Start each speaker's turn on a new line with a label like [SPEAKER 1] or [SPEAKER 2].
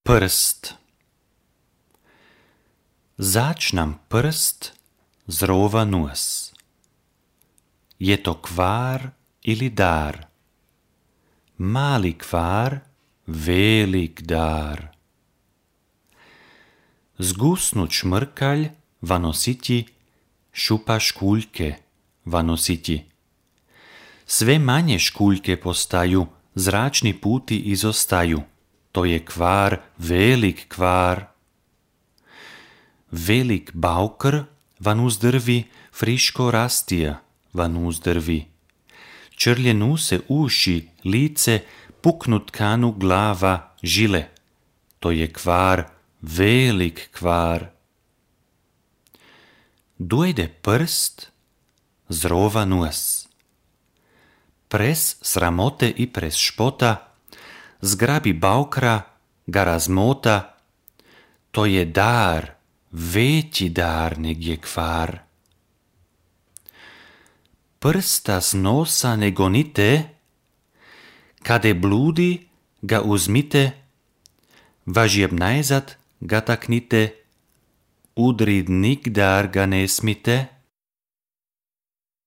[SPEAKER 1] Prst. Zač nam prst zrova nos. Je to kvar ili dar? Mali kvar, velik dar. Zgusnut šmrkalj va nositi, šupa škuljke va nositi. Sve manje škuljke postaju, zračni puti izostaju. To je kvar, velik kvar. Velik baukr van uzdrvi, friško rastija van uzdrvi. Črljenu se uši, lice, puknut kanu glava, žile. To je kvar, velik kvar. Dojde prst, zrova nos. Pres sramote i pres špota, zgrabi baukra, ga razmota. To je dar, veći dar neg je kvar. Prsta s nosa ne gonite, kade bludi ga uzmite, važjeb najzad ga taknite, udrid nigdar ga ne smite.